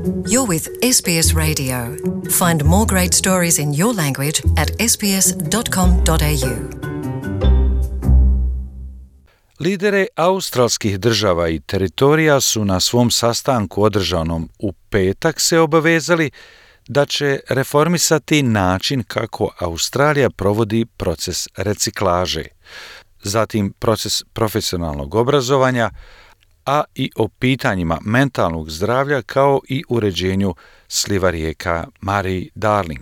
You're with SBS Radio. Find more great stories in your language at sbs.com.au. Lideri australskih država i teritorija su na svom sastanku održanom u petak se obavezali da će reformisati način kako Australija provodi proces reciklaže, zatim proces profesionalnog obrazovanja, a i o pitanjima mentalnog zdravlja kao i uređenju sliva rijeka Murray-Darling.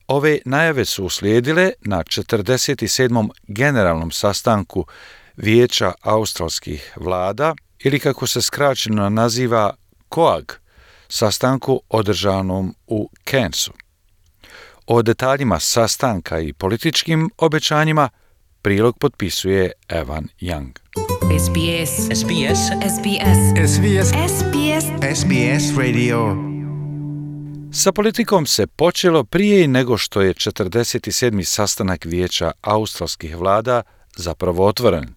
Ove najave su uslijedile na 47. generalnom sastanku Vijeća australskih vlada ili kako se skraćeno naziva COAG, sastanku održanom u Cairnsu. O detaljima sastanka i političkim obećanjima prilog potpisuje Evan Young. SBS SBS SBS SBS SBS SBS Radio. Sa politikom se počelo prije nego što je 47. sastanak Vijeća australskih vlada zapravo otvoren.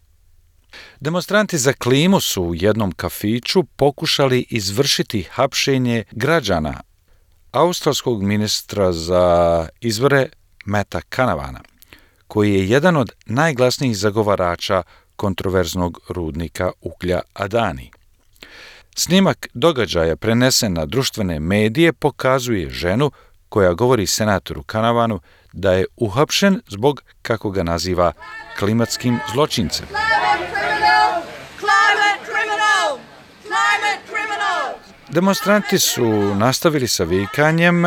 Demonstranti za klimu su u jednom kafiću pokušali izvršiti hapšenje građana australskog ministra za izvore Matta Canavana, koji je jedan od najglasnijih zagovarača kontroverznog rudnika uglja Adani. Snimak događaja prenesen na društvene medije pokazuje ženu koja govori senatoru Canavanu da je uhapšen zbog, kako ga naziva, klimatskim zločincem. Demonstranti su nastavili sa vikanjem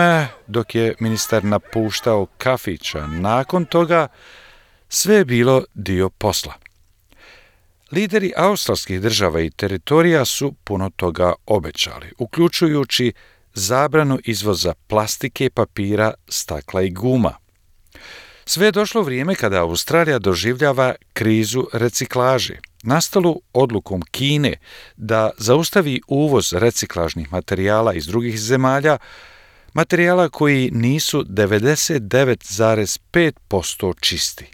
dok je ministar napuštao kafića. Nakon toga sve je bilo dio posla. Lideri australskih država i teritorija su puno toga obećali, uključujući zabranu izvoza plastike, papira, stakla i guma. Sve je došlo vrijeme kada Australija doživljava krizu reciklaže, nastalu odlukom Kine da zaustavi uvoz reciklažnih materijala iz drugih zemalja, materijala koji nisu 99,5% čisti.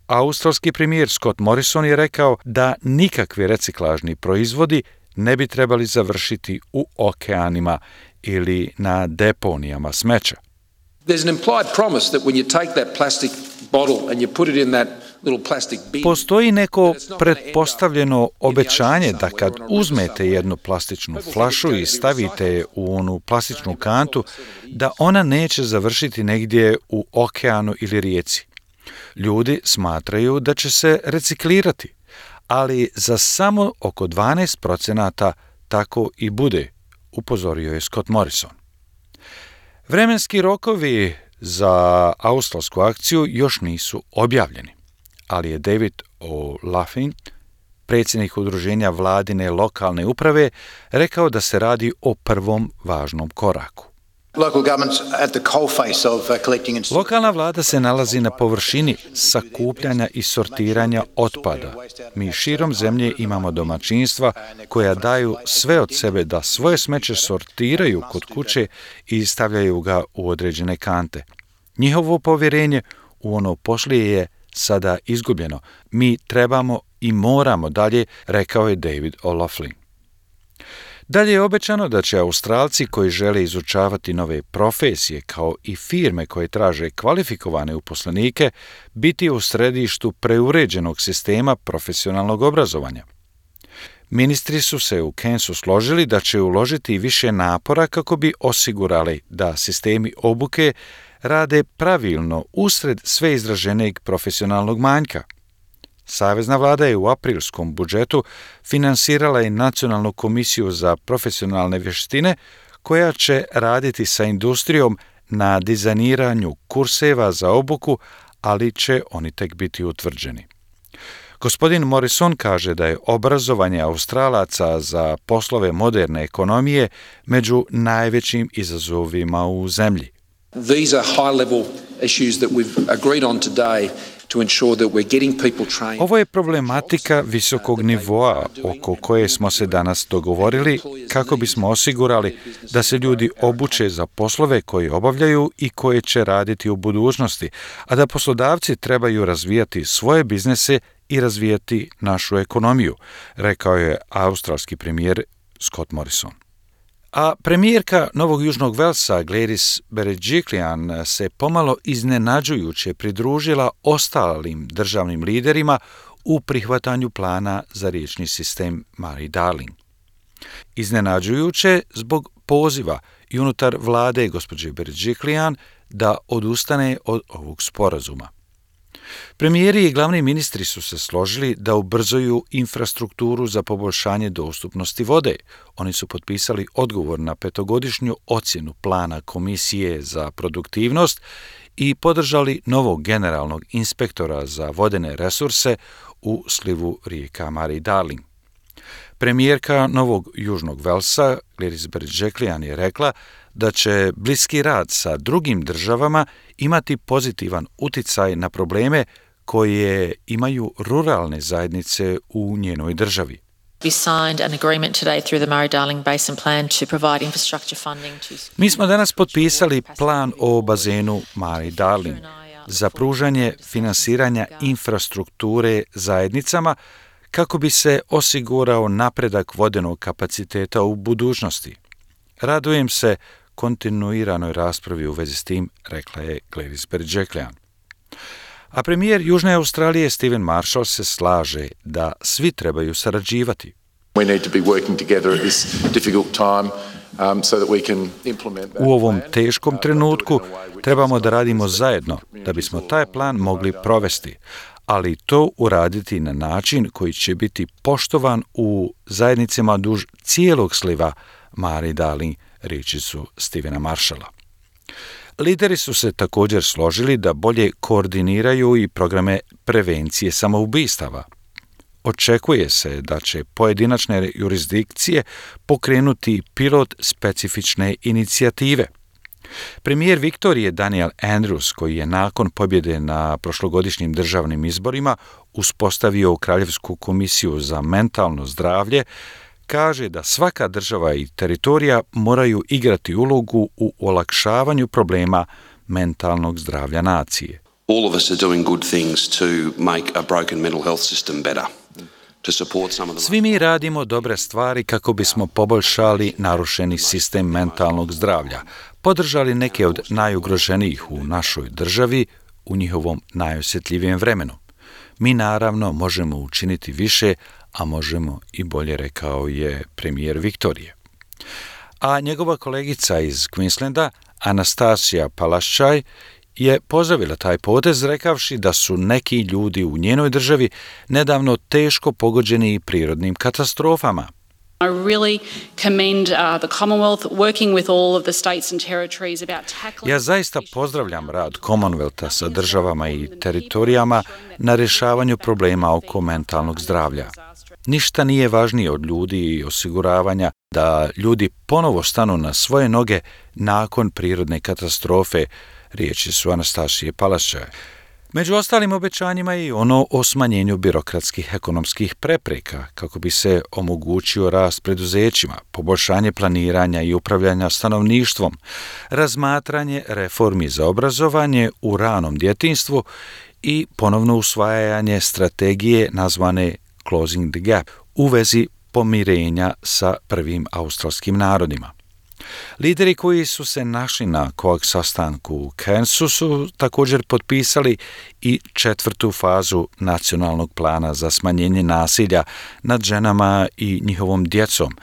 Australski premijer Scott Morrison je rekao da nikakvi reciklažni proizvodi ne bi trebali završiti u okeanima ili na deponijama smeća. There's an implied promise that when you take that plastic bottle and you put it in that little plastic bin. Postoji neko pretpostavljeno obećanje da kad uzmete jednu plastičnu flašu i stavite je u onu plastičnu kantu, da ona neće završiti negdje u okeanu ili rijeci. Ljudi smatraju da će se reciklirati, ali za samo oko 12% tako i bude, upozorio je Scott Morrison. Vremenski rokovi za australsku akciju još nisu objavljeni, ali je David O'Loughlin, predsjednik udruženja vladine lokalne uprave, rekao da se radi o prvom važnom koraku. Lokalna vlada se nalazi na površini sakupljanja i sortiranja otpada. Mi širom zemlje imamo domaćinstva koja daju sve od sebe da svoje smeće sortiraju kod kuće i stavljaju ga u određene kante. Njihovo povjerenje u ono poslije je sada izgubljeno. Mi trebamo i moramo dalje, rekao je David O'Loughlin. Dalje je obećano da će Australci koji žele izučavati nove profesije kao i firme koje traže kvalifikovane uposlenike biti u središtu preuređenog sistema profesionalnog obrazovanja. Ministri su se u Cairnsu složili da će uložiti više napora kako bi osigurali da sistemi obuke rade pravilno usred sve izraženijeg profesionalnog manjka. Savezna vlada je u aprilskom budžetu finansirala i Nacionalnu komisiju za profesionalne vještine koja će raditi sa industrijom na dizajniranju kurseva za obuku, ali će oni tek biti utvrđeni. Gospodin Morrison kaže da je obrazovanje Australaca za poslove moderne ekonomije među najvećim izazovima u zemlji. These are high-level issues that we've agreed on today to ensure that we're getting people trained. Ovo je problematika visokog nivoa oko koje smo se danas dogovorili kako bismo osigurali da se ljudi obuče za poslove koje obavljaju i koje će raditi u budućnosti, a da poslodavci trebaju razvijati svoje biznese i razvijati našu ekonomiju, rekao je australski premijer Scott Morrison. A premijerka Novog Južnog Velsa Gladys Berejiklian se pomalo iznenađujuće pridružila ostalim državnim liderima u prihvatanju plana za riječni sistem Mary Darling. Iznenađujuće zbog poziva i unutar vlade gospođe Berejiklian da odustane od ovog sporazuma. Premijeri i glavni ministri su se složili da ubrzaju infrastrukturu za poboljšanje dostupnosti vode. Oni su potpisali odgovor na 5-godišnju ocjenu plana Komisije za produktivnost i podržali novog generalnog inspektora za vodene resurse u slivu rijeka Mary Darling. Premijerka Novog Južnog Velsa Gladys Berejiklian je rekla da će bliski rad sa drugim državama imati pozitivan uticaj na probleme koje imaju ruralne zajednice u njenoj državi. Mi smo danas potpisali plan o bazenu Mary Darling za pružanje finansiranja infrastrukture zajednicama kako bi se osigurao napredak vodenog kapaciteta u budućnosti. Radujem se kontinuiranoj raspravi u vezi s tim, rekla je Gladys Berejiklian. A premijer Južne Australije Stephen Marshall se slaže da svi trebaju sarađivati. U ovom teškom trenutku trebamo da radimo zajedno da bismo taj plan mogli provesti, ali to uraditi na način koji će biti poštovan u zajednicama duž cijelog sliva Mary Darling, riječi su Stephena Marshalla. Lideri su se također složili da bolje koordiniraju i programe prevencije samoubistava. Očekuje se da će pojedinačne jurisdikcije pokrenuti pilot specifične inicijative. Premijer Viktorije Daniel Andrews, koji je nakon pobjede na prošlogodišnjim državnim izborima uspostavio Kraljevsku komisiju za mentalno zdravlje, kaže da svaka država i teritorija moraju igrati ulogu u olakšavanju problema mentalnog zdravlja nacije. All of us are doing good things to make a broken mental health system better. Svi mi radimo dobre stvari kako bismo poboljšali narušeni sistem mentalnog zdravlja, podržali neke od najugroženijih u našoj državi u njihovom najosjetljivijem vremenu. Mi naravno možemo učiniti više, a možemo i bolje, rekao je premijer Viktorije. A njegova kolegica iz Queenslanda, Anastasia Palaszczuk, je pozdravila taj potez rekavši da su neki ljudi u njenoj državi nedavno teško pogođeni prirodnim katastrofama. I really commend the Commonwealth working with all of the states and territories about tackling. Ja zaista pozdravljam rad Commonwealtha sa državama i teritorijama na rješavanju problema oko mentalnog zdravlja. Ništa nije važnije od ljudi i osiguravanja da ljudi ponovo stanu na svoje noge nakon prirodne katastrofe, riječi su Anastasije Palaszczuk. Među ostalim obećanjima je i ono o smanjenju birokratskih ekonomskih prepreka kako bi se omogućio rast preduzećima, poboljšanje planiranja i upravljanja stanovništvom, razmatranje reformi za obrazovanje u ranom djetinjstvu i ponovno usvajanje strategije nazvane Closing the Gap u vezi pomirenja sa prvim australskim narodima. Lideri koji su se našli na COAG sastanku u Cairnsu su također potpisali i 4. fazu nacionalnog plana za smanjenje nasilja nad ženama i njihovom djecom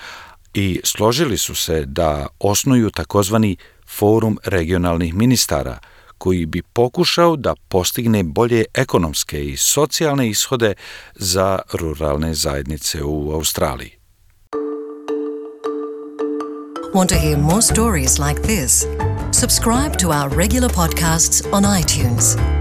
i složili su se da osnuju takozvani forum regionalnih ministara koji bi pokušao da postigne bolje ekonomske i socijalne ishode za ruralne zajednice u Australiji. Want to hear more stories like this? Subscribe to our regular podcasts on iTunes.